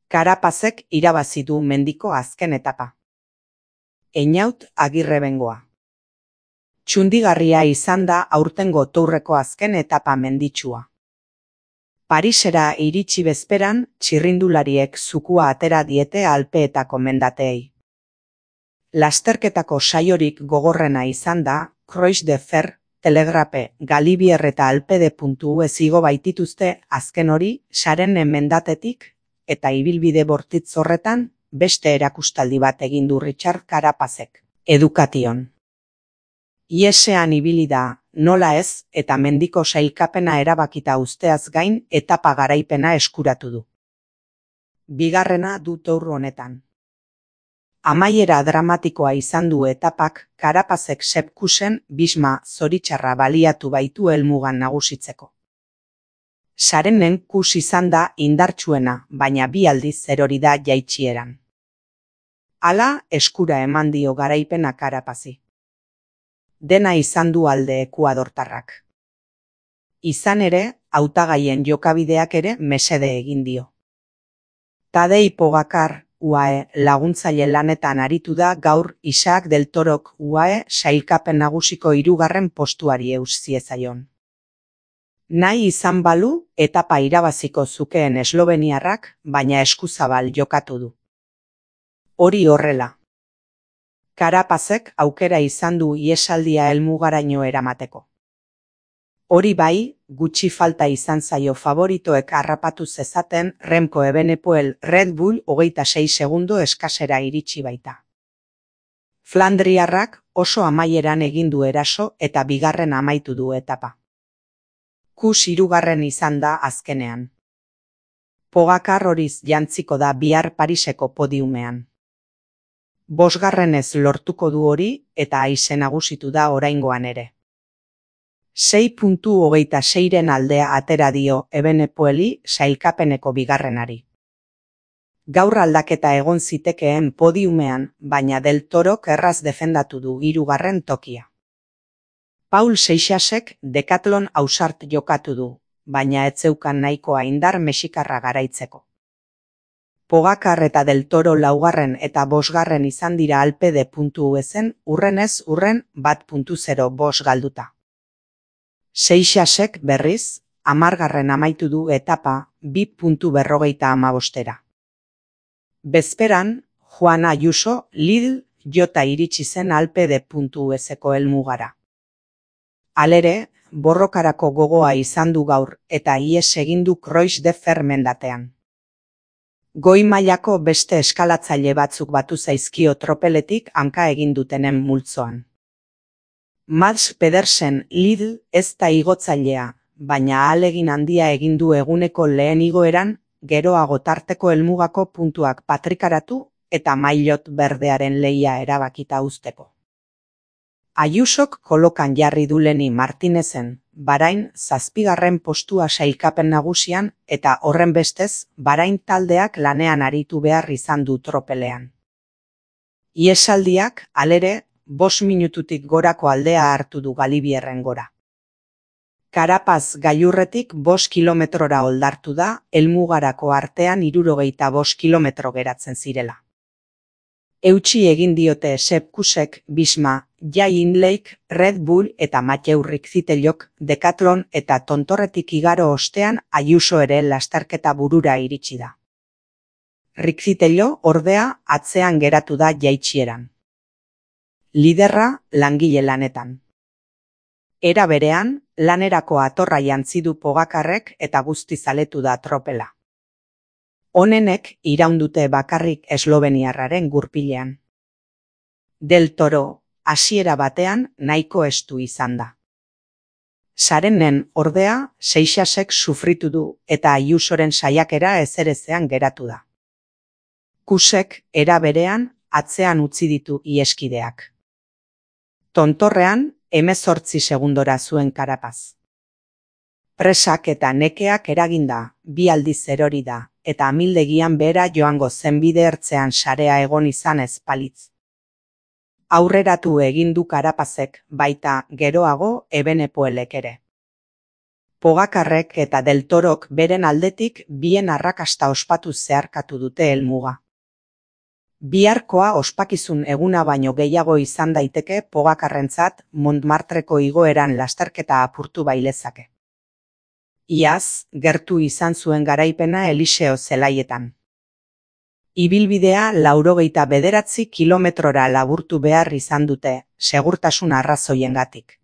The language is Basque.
Carapazek irabazi du mendiko azken etapa. Einaut Agirrebengoa. Txundigarria izan da aurtengo Tourreko azken etapa menditsua. Parisera iritsi bezperan, txirrindulariek zukua atera diete Alpeetako mendateei. Lasterketako saiorik gogorrena izan da, Croix de Fer, Telegrape, Galibier eta Alpede.us igo baitituzte azken hori sarenen mendatetik, eta ibilbide bortitz horretan, beste erakustaldi bat egin du Richard Carapazek, Education. Iesean ibili da, nola ez, eta mendiko sailkapena erabakita usteaz gain etapa garaipena eskuratu du. Bigarrena du Tour honetan. Amaiera dramatikoa izan du etapak, Carapazek Sepkusen Bisma zoritxarra baliatu baitu helmugan nagusitzeko. Sarenen kus izan da indartsuena, baina bi aldiz erori da jaitsieran. Hala, eskura eman dio garaipena Carapazi. Dena izan du alde ekuadortarrak. Izan ere, hautagaien jokabideak ere mesede egin dio. Tadej Pogačar, UAE, laguntzaile lanetan aritu da gaur Isaac del Torok UAE sailkapen nagusiko 3. postuari eus ziezaion. Nahi izan balu, etapa irabaziko zukeen esloveniarrak, baina eskuzabal jokatu du. Hori horrela. Carapazek aukera izan du iesaldia helmugaraino eramateko. Hori bai, gutxi falta izan zaio favoritoek harrapatu zezaten Remco Evenepoel Red Bull 26 segundo eskasera iritsi baita. Flandriarrak oso amaieran egin du eraso eta bigarren amaitu du etapa. Kus 3. izan da azkenean. Pogačar horiz jantziko da bihar Pariseko podiumean. 5. lortuko du hori eta aise nagusitu da oraingoan ere. 6.26 aldea atera dio Evenepoeli sailkapeneko bigarrenari. Gaur aldaketa egon zitekeen podiumean, baina Del Torok erraz defendatu du 3. tokia. Paul Seixasek Decathlon ausart jokatu du, baina ez zeukan nahikoa indar mexikarra garaitzeko. Pogačar eta Del Toro 4. eta 5. izan dira Alpede.usen urrenez urren 1.05 galduta. Seixasek berriz, 10. amaitu du etapa 2.45. Bezperan, Juan Ayuso Lidl jota iritsi zen Alpede.useko helmugara. Halere, borrokarako gogoa izan du gaur eta ihes egin du Croix de Fer mendatean. Goi mailako beste eskalatzaile batzuk batu zaizkio tropeletik hanka egin dutenen multzoan. Mads Pedersen Lidl ez da igotzailea, baina ahalegin handia egin du eguneko lehen igoeran, geroago tarteko helmugako puntuak patrikaratu eta maillot berdearen lehia erabakita uzteko. Ayusok kolokan jarri du Leni Martinezen, Bahrain 7. postua sailkapen nagusian eta horren bestez Bahrain taldeak lanean aritu behar izan du tropelean. Iesaldiak, halere, 5 minututik gorako aldea hartu du Galibierren gora. Carapaz gailurretik 5 kilometrora oldartu da, helmugarako artean 65 kilometro geratzen zirela. Eutsi egin diote Sepkusek Bisma, Jai Hindleyk, Red Bull eta Mathieu Rixitelok Decathlon eta tontorretik igaro ostean Ayuso ere lasterketa burura iritsi da. Rixitello ordea atzean geratu da jaitsieran. Liderra langile lanetan. Era berean, lanerako atorra jantzi du Pogačarrek eta guztiz aletu da tropela. Honenek iraundute bakarrik esloveniarraren gurpilean. Del Toro, hasiera batean nahiko estu izan da. Sarenen ordea, Seixasek sufritu du eta Ayusoren saiakera ezerezean geratu da. Kusek era berean atzean utzi ditu iheskideak. Tontorrean, 18 segundora zuen Carapaz. Presak eta nekeak eraginda, 2 aldiz erori da, eta amildegian behera joango zenbide ertzean sarea egon izan ez palitz. Aurreratu egin du Carapazek, baita geroago Evenepoelek ere. Pogakarrek eta Del Torok beren aldetik bien arrakasta ospatu zeharkatu dute helmuga. Biharkoa ospakizun eguna baino gehiago izan daiteke Pogakarrentzat Montmartreko igoeran lasterketa apurtu bailezake. Iaz, gertu izan zuen garaipena Eliseo zelaietan. Ibilbidea 89 kilometrora laburtu behar izan dute, segurtasun arrazoiengatik.